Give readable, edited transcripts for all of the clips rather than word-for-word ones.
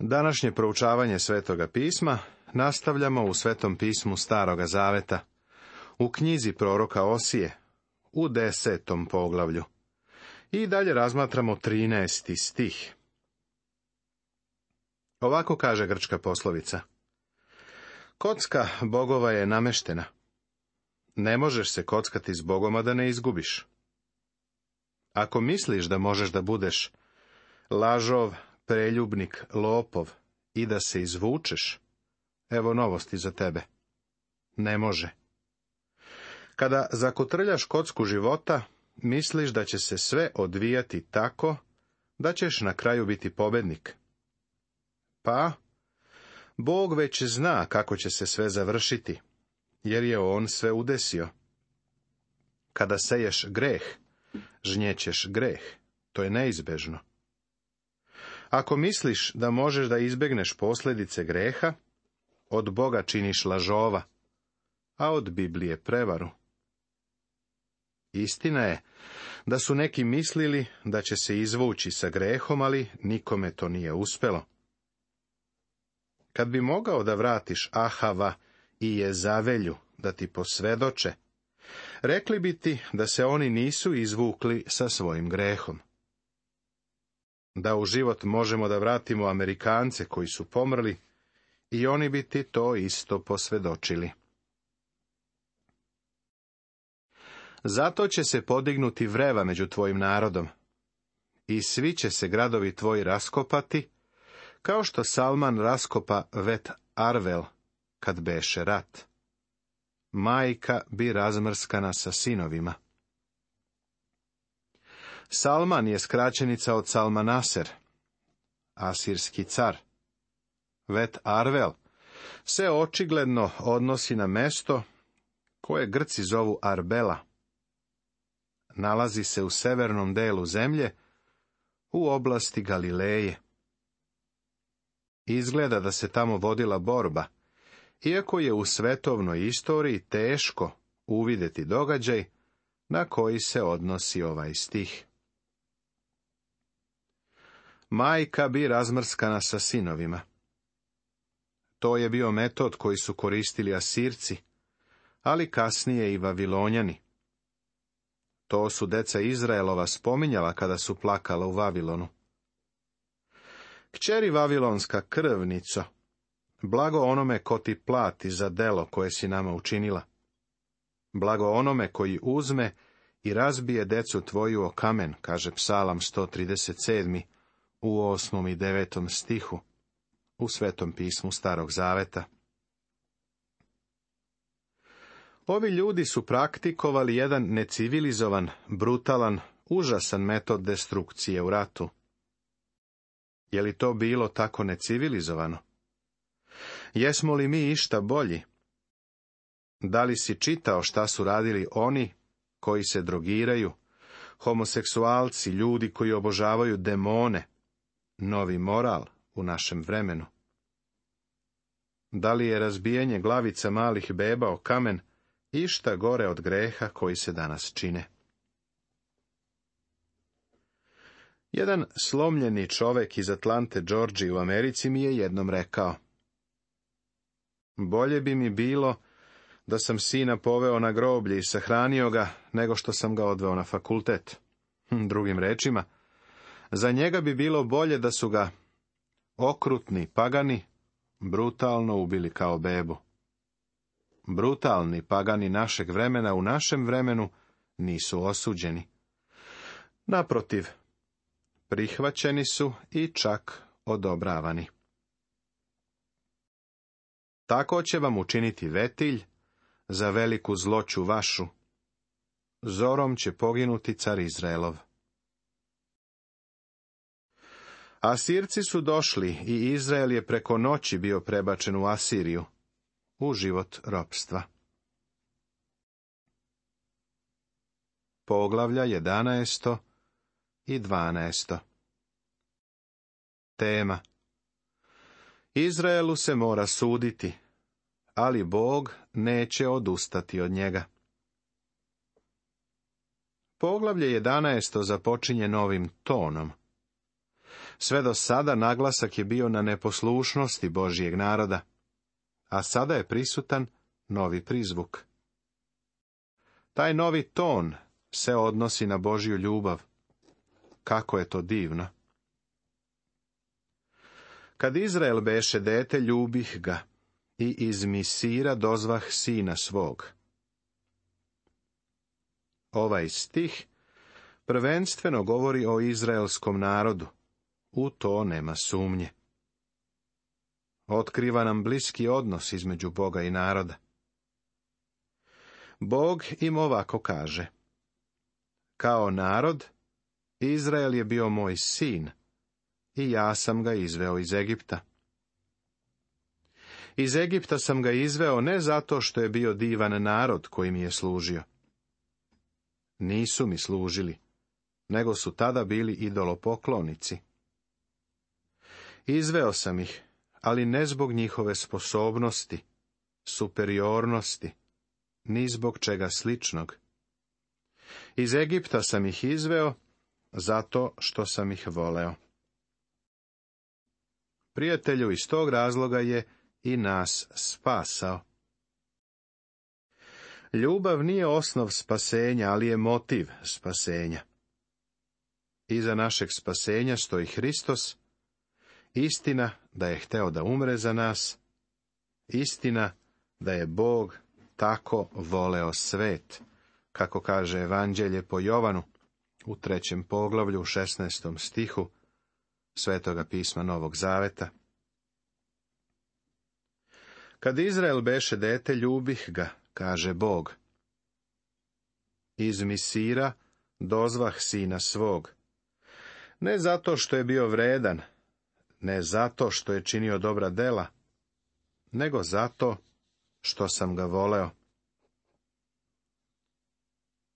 Današnje proučavanje Svetoga pisma nastavljamo u Svetom pismu Staroga Zaveta, u knjizi proroka Osije, u 10. poglavlju. I dalje razmatramo 13. stih. Ovako kaže grčka poslovica. Kocka bogova je nameštena. Ne možeš se kockati s Bogom, a da ne izgubiš. Ako misliš da možeš da budeš lažov, preljubnik, lopov i da se izvučeš, evo novosti za tebe. Ne može. Kada zakotrljaš kocku života, misliš da će se sve odvijati tako da ćeš na kraju biti pobednik. Pa, Bog već zna kako će se sve završiti, jer je on sve udesio. Kada seješ greh, žnjećeš greh. To je neizbežno. Ako misliš da možeš da izbegneš posljedice greha, od Boga činiš lažova, a od Biblije prevaru. Istina je da su neki mislili da će se izvući sa grehom, ali nikome to nije uspelo. Kad bi mogao da vratiš Ahava i Jezavelju da ti posvedoče, rekli bi ti da se oni nisu izvukli sa svojim grehom. Da u život možemo da vratimo Amerikance koji su pomrli, i oni bi ti to isto posvedočili. Zato će se podignuti vreva među tvojim narodom, i svi će se gradovi tvoji raskopati, kao što Salman raskopa Vet Arvel, kad beše rat. Majka bi razmrskana sa sinovima. Salman je skraćenica od Salmanaser, asirski car. Vet Arvel se očigledno odnosi na mesto koje Grci zovu Arbela. Nalazi se u severnom delu zemlje, u oblasti Galileje. Izgleda da se tamo vodila borba, iako je u svetovnoj istoriji teško uvidjeti događaj na koji se odnosi ovaj stih. Majka bi razmrskana sa sinovima. To je bio metod koji su koristili Asirci, ali kasnije i Vavilonjani. To su deca Izraelova spominjala kada su plakala u Vavilonu. Kćeri Vavilonska krvnico, blago onome ko ti plati za delo koje si nama učinila. Blago onome koji uzme i razbije decu tvoju o kamen, kaže Psalam 137. u 8. i 9. stihu, u Svetom pismu Starog Zaveta. Ovi ljudi su praktikovali jedan necivilizovan, brutalan, užasan metod destrukcije u ratu. Je li to bilo tako necivilizovano? Jesmo li mi išta bolji? Da li si čitao šta su radili oni koji se drogiraju, homoseksualci, ljudi koji obožavaju demone, novi moral u našem vremenu? Da li je razbijanje glavica malih beba o kamen išta gore od greha koji se danas čine? Jedan slomljeni čovek iz Atlante, Georgije u Americi mi je jednom rekao: bolje bi mi bilo da sam sina poveo na groblje i sahranio ga, nego što sam ga odveo na fakultet. Drugim rečima, za njega bi bilo bolje da su ga okrutni pagani brutalno ubili kao bebu. Brutalni pagani našeg vremena u našem vremenu nisu osuđeni. Naprotiv, prihvaćeni su i čak odobravani. Tako će vam učiniti vetilj za veliku zloću vašu. Zorom će poginuti car Izraelov. Asirci su došli i Izrael je preko noći bio prebačen u Asiriju, u život ropstva. Poglavlja 11. i 12. Tema: Izraelu se mora suditi, ali Bog neće odustati od njega. Poglavlje 11. započinje novim tonom. Sve do sada naglasak je bio na neposlušnosti Božjeg naroda, a sada je prisutan novi prizvuk. Taj novi ton se odnosi na Božju ljubav. Kako je to divno! Kad Izrael beše dete, ljubih ga, i iz Misira dozvah sina svog. Ovaj stih prvenstveno govori o izraelskom narodu. U to nema sumnje. Otkriva nam bliski odnos između Boga i naroda. Bog im ovako kaže: kao narod, Izrael je bio moj sin, i ja sam ga izveo iz Egipta. Iz Egipta sam ga izveo ne zato što je bio divan narod koji mi je služio. Nisu mi služili, nego su tada bili idolopoklonici. Izveo sam ih, ali ne zbog njihove sposobnosti, superiornosti, ni zbog čega sličnog. Iz Egipta sam ih izveo zato što sam ih voleo. Prijatelju, iz tog razloga je i nas spasao. Ljubav nije osnov spasenja, ali je motiv spasenja. Iza našeg spasenja stoji Hristos, istina da je hteo da umre za nas, istina da je Bog tako voleo svet, kako kaže Evanđelje po Jovanu u 3. poglavlju u 16. stihu Svetoga pisma Novog Zaveta. Kad Izrael beše dete, ljubih ga, kaže Bog. Iz Misira dozvah sina svog. Ne zato što je bio vredan, ne zato što je činio dobra dela, nego zato što sam ga voleo.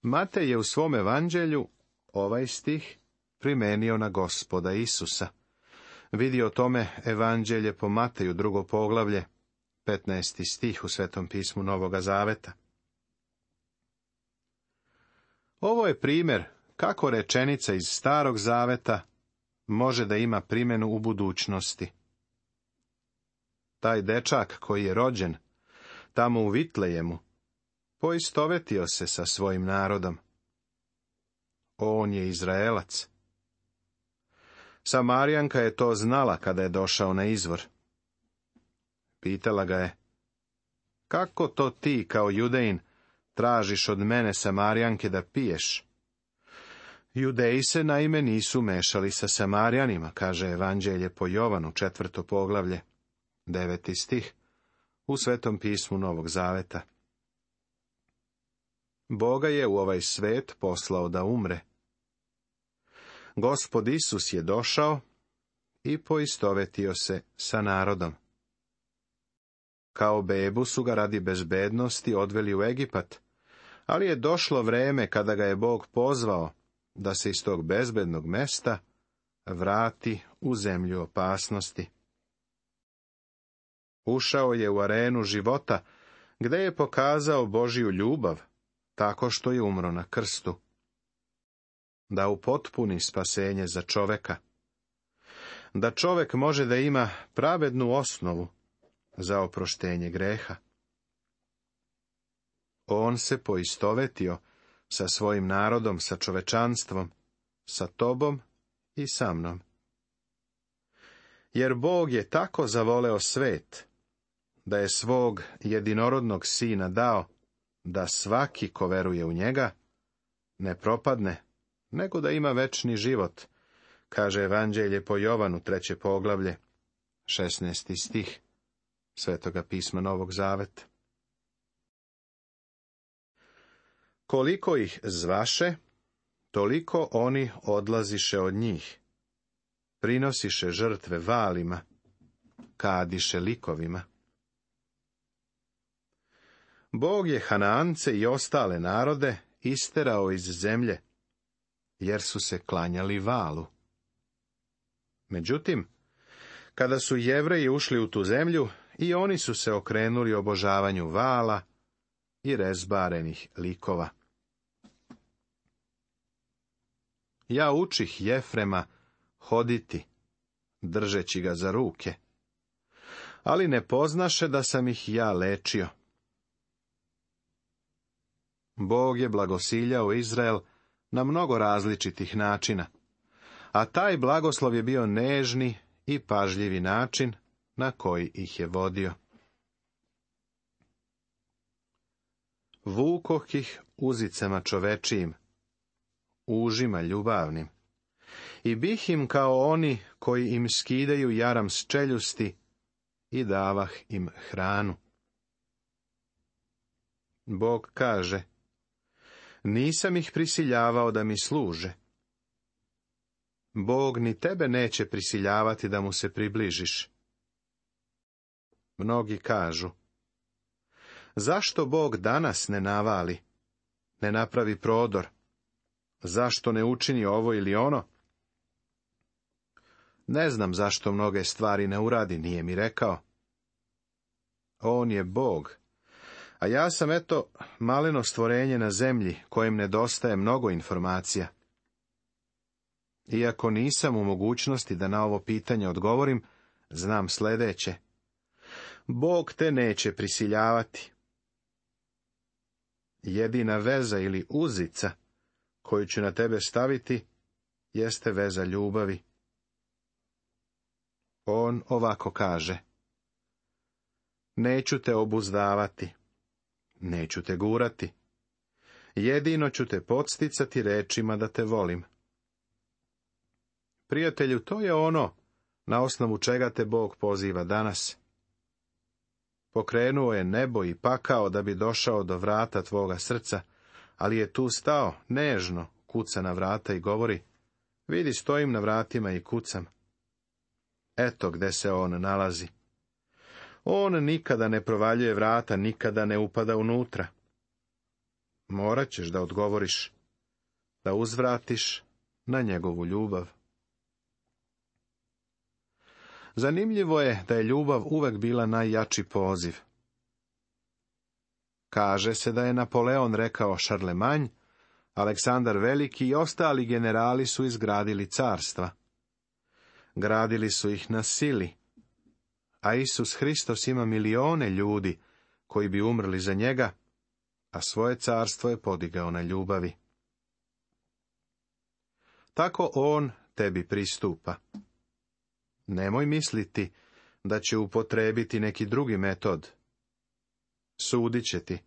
Matej je u svom evanđelju ovaj stih primenio na Gospoda Isusa. Vidi o tome evanđelje po Mateju, 2. poglavlje, 15. stih u Svetom pismu Novoga Zaveta. Ovo je primjer kako rečenica iz Starog Zaveta može da ima primjenu u budućnosti. Taj dečak koji je rođen tamo u Vitlejemu poistovetio se sa svojim narodom. On je Izraelac. Samarijanka je to znala kada je došao na izvor. Pitala ga je: kako to ti, kao Judejin, tražiš od mene, Samarijanke, da piješ? Judeji se naime nisu mešali sa Samarijanima, kaže Evanđelje po Jovanu, 4. poglavlje, 9. stih, u Svetom pismu Novog Zaveta. Boga je u ovaj svet poslao da umre. Gospod Isus je došao i poistovetio se sa narodom. Kao bebu su ga radi bezbednosti odveli u Egipat, ali je došlo vreme kada ga je Bog pozvao da se iz tog bezbednog mesta vrati u zemlju opasnosti. Ušao je u arenu života, gde je pokazao Božju ljubav, tako što je umro na krstu. Da upotpuni spasenje za čoveka. Da čovek može da ima pravednu osnovu za oproštenje greha. On se poistovetio sa svojim narodom, sa čovečanstvom, sa tobom i sa mnom. Jer Bog je tako zavoleo svet, da je svog jedinorodnog sina dao, da svaki ko veruje u njega ne propadne, nego da ima večni život, kaže Evanđelje po Jovanu, 3. poglavlje, 16. stih Svetoga pisma Novog Zaveta. Koliko ih zvaše, toliko oni odlaziše od njih. Prinosiše žrtve valima, kadiše likovima. Bog je Hanaance i ostale narode isterao iz zemlje, jer su se klanjali valu. Međutim, kada su Jevreji ušli u tu zemlju, i oni su se okrenuli obožavanju vala i rezbarenih likova. Ja učih Jefrema hoditi držeći ga za ruke. Ali ne poznaše da sam ih ja lečio. Bog je blagosiljao Izrael na mnogo različitih načina, a taj blagoslov je bio nežni i pažljivi način na koji ih je vodio. Vukoh ih uzicama čovečijim, užima ljubavnim, i bih im kao oni koji im skidaju jaram s čeljusti i davah im hranu. Bog kaže, nisam ih prisiljavao da mi služe. Bog ni tebe neće prisiljavati da mu se približiš. Mnogi kažu, zašto Bog danas ne navali, ne napravi prodor? Zašto ne učini ovo ili ono? Ne znam zašto mnoge stvari ne uradi, nije mi rekao. On je Bog, a ja sam maleno stvorenje na zemlji kojem nedostaje mnogo informacija. Iako nisam u mogućnosti da na ovo pitanje odgovorim, znam sljedeće. Bog te neće prisiljavati. Jedina veza ili uzica koju ću na tebe staviti jeste veza ljubavi. On ovako kaže, neću te obuzdavati, neću te gurati, jedino ću te podsticati rečima da te volim. Prijatelju, to je ono na osnovu čega te Bog poziva danas. Pokrenuo je nebo i pakao da bi došao do vrata tvoga srca, ali je tu stao, nežno, kuca na vrata i govori, vidi, stojim na vratima i kucam. Eto gde se on nalazi. On nikada ne provaljuje vrata, nikada ne upada unutra. Morat ćeš da odgovoriš, da uzvratiš na njegovu ljubav. Zanimljivo je da je ljubav uvek bila najjači poziv. Kaže se da je Napoleon rekao Šarlemanj, Aleksandar Veliki i ostali generali su izgradili carstva. Gradili su ih na sili, a Isus Hristos ima milione ljudi koji bi umrli za njega, a svoje carstvo je podigao na ljubavi. Tako on tebi pristupa. Nemoj misliti da će upotrebiti neki drugi metod. Sudit će ti,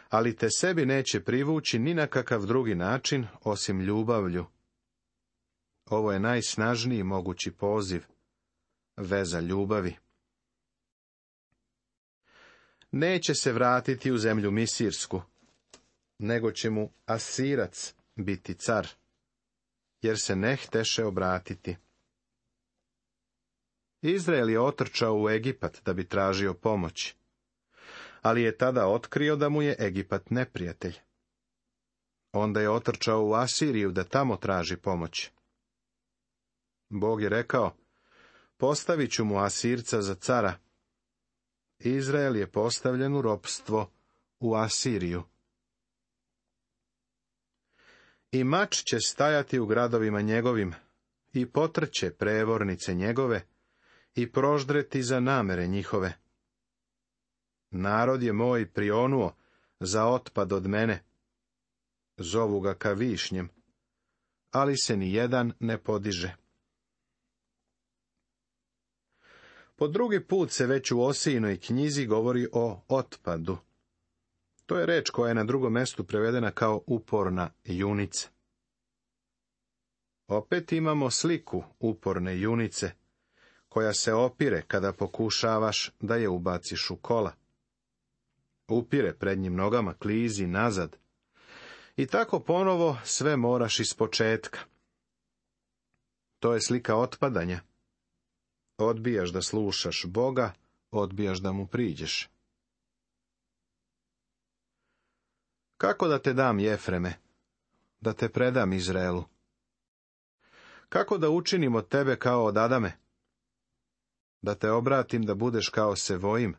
ali te sebi neće privući ni na kakav drugi način osim ljubavlju. Ovo je najsnažniji mogući poziv, veza ljubavi. Neće se vratiti u zemlju Misirsku, nego će mu Asirac biti car, jer se ne hteše obratiti. Izrael je otrčao u Egipat da bi tražio pomoć, ali je tada otkrio da mu je Egipat neprijatelj. Onda je otrčao u Asiriju da tamo traži pomoć. Bog je rekao, postavit ću mu Asirca za cara. Izrael je postavljen u ropstvo u Asiriju. I mač će stajati u gradovima njegovim, i potrće prevornice njegove, i proždreti za namere njihove. Narod je moj prionuo za otpad od mene. Zovu ga ka višnjem, ali se ni jedan ne podiže. Po drugi put se već u Osijinoj knjizi govori o otpadu. To je reč koja je na drugom mjestu prevedena kao uporna junica. Opet imamo sliku uporne junice, koja se opire kada pokušavaš da je ubaciš u kola. Upire prednjim nogama, klizi nazad. I tako ponovo sve moraš ispočetka. To je slika otpadanja. Odbijaš da slušaš Boga, odbijaš da mu priđeš. Kako da te dam, Jefreme? Da te predam Izraelu? Kako da učinim od tebe kao od Adame? Da te obratim da budeš kao Sevojim?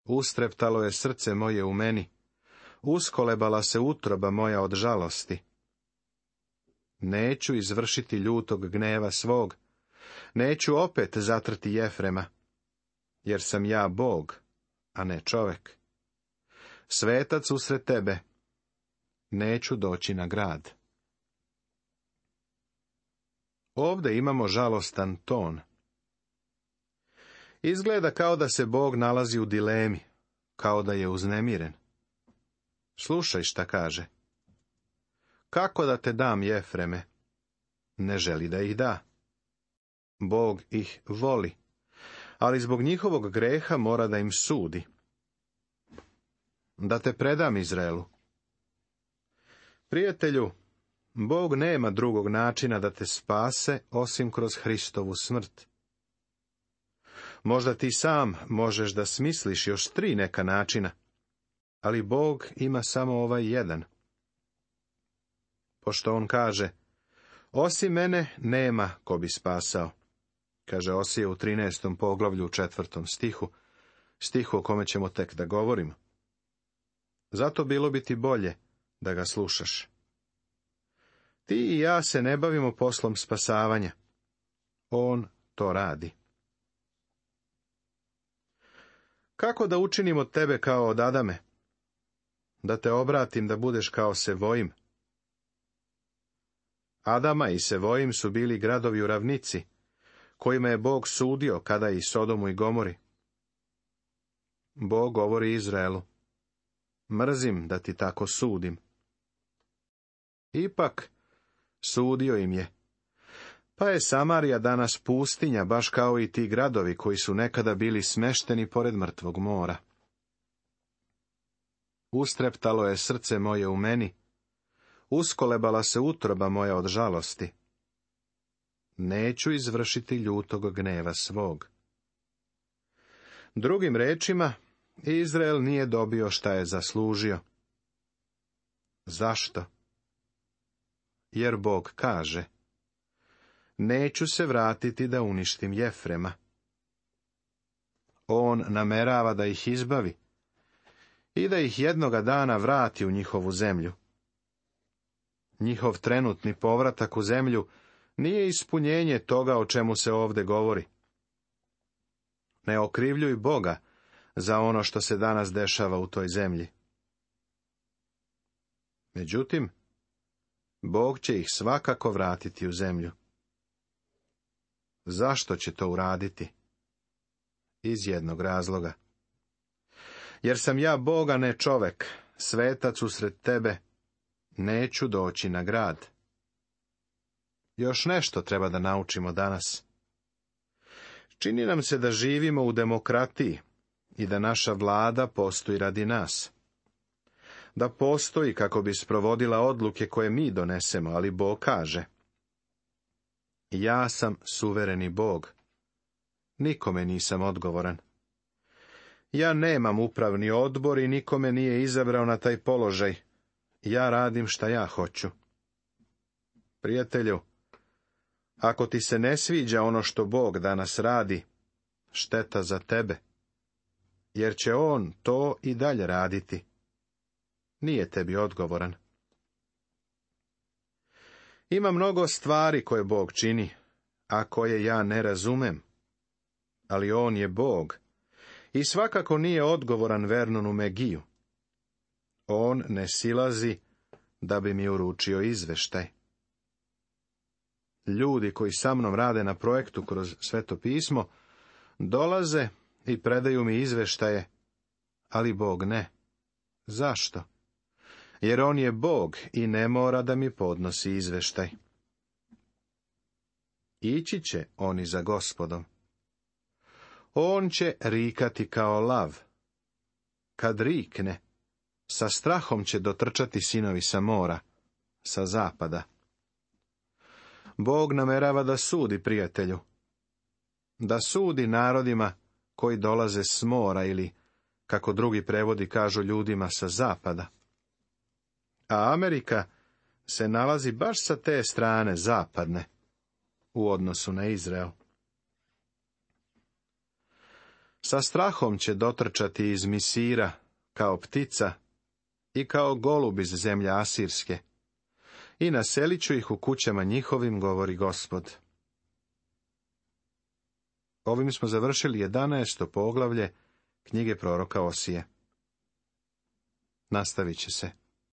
Ustreptalo je srce moje u meni, uskolebala se utroba moja od žalosti. Neću izvršiti ljutog gneva svog, Neću opet zatrti Jefrema, jer sam ja Bog, a ne čovek. Svetac usred tebe, neću doći na grad. Ovdje imamo žalostan ton. Izgleda kao da se Bog nalazi u dilemi, kao da je uznemiren. Slušaj šta kaže. Kako da te dam, Jefreme? Ne želi da ih da. Bog ih voli, ali zbog njihovog greha mora da im sudi. Da te predam Izraelu. Prijatelju, Bog nema drugog načina da te spase osim kroz Hristovu smrt. Možda ti sam možeš da smisliš još 3 neka načina, ali Bog ima samo ovaj jedan. Pošto on kaže, osim mene nema ko bi spasao, kaže Osije u 13. poglavlju u 4. stihu o kome ćemo tek da govorimo. Zato bilo bi ti bolje da ga slušaš. Ti i ja se ne bavimo poslom spasavanja. On to radi. Kako da učinim od tebe kao od Adame? Da te obratim da budeš kao Sevojim. Adama i Sevojim su bili gradovi u ravnici, kojima je Bog sudio kada i Sodomu i Gomori. Bog govori Izraelu, mrzim da ti tako sudim. Ipak, sudio im je. Pa je Samarija danas pustinja, baš kao i ti gradovi koji su nekada bili smešteni pored mrtvog mora. Ustreptalo je srce moje u meni, uskolebala se utroba moja od žalosti. Neću izvršiti ljutog gneva svog. Drugim rečima, Izrael nije dobio šta je zaslužio. Zašto? Jer Bog kaže, neću se vratiti da uništim Jefrema. On namerava da ih izbavi i da ih jednoga dana vrati u njihovu zemlju. Njihov trenutni povratak u zemlju nije ispunjenje toga o čemu se ovdje govori. Ne okrivljuj Boga za ono što se danas dešava u toj zemlji. Međutim, Bog će ih svakako vratiti u zemlju. Zašto će to uraditi? Iz jednog razloga. Jer sam ja Bog, a ne čovek, svetac usred tebe, neću doći na grad. Još nešto treba da naučimo danas. Čini nam se da živimo u demokratiji i da naša vlada postoji radi nas. Da postoji kako bi sprovodila odluke koje mi donesemo, ali Bog kaže, ja sam suvereni Bog. Nikome nisam odgovoran. Ja nemam upravni odbor i nikome nije izabrao na taj položaj. Ja radim šta ja hoću. Prijatelju, ako ti se ne sviđa ono što Bog danas radi, šteta za tebe, jer će on to i dalje raditi. Nije tebi odgovoran. Ima mnogo stvari koje Bog čini, a koje ja ne razumem, ali on je Bog i svakako nije odgovoran Vernonu Megiju. On ne silazi da bi mi uručio izveštaj. Ljudi koji sa mnom rade na projektu kroz Sveto pismo, dolaze i predaju mi izveštaje, ali Bog ne. Zašto? Jer on je Bog i ne mora da mi podnosi izveštaj. Ići će oni za Gospodom. On će rikati kao lav. Kad rikne, sa strahom će dotrčati sinovi sa mora, sa zapada. Bog namerava da sudi, prijatelju. Da sudi narodima koji dolaze s mora ili, kako drugi prevodi kažu, ljudima sa zapada. A Amerika se nalazi baš sa te strane zapadne u odnosu na Izrael. Sa strahom će dotrčati iz Misira kao ptica i kao golub iz zemlje Asirske i naselit ću ih u kućama njihovim, govori Gospod. Ovim smo završili 11. poglavlje knjige proroka Osije. Nastavit će se.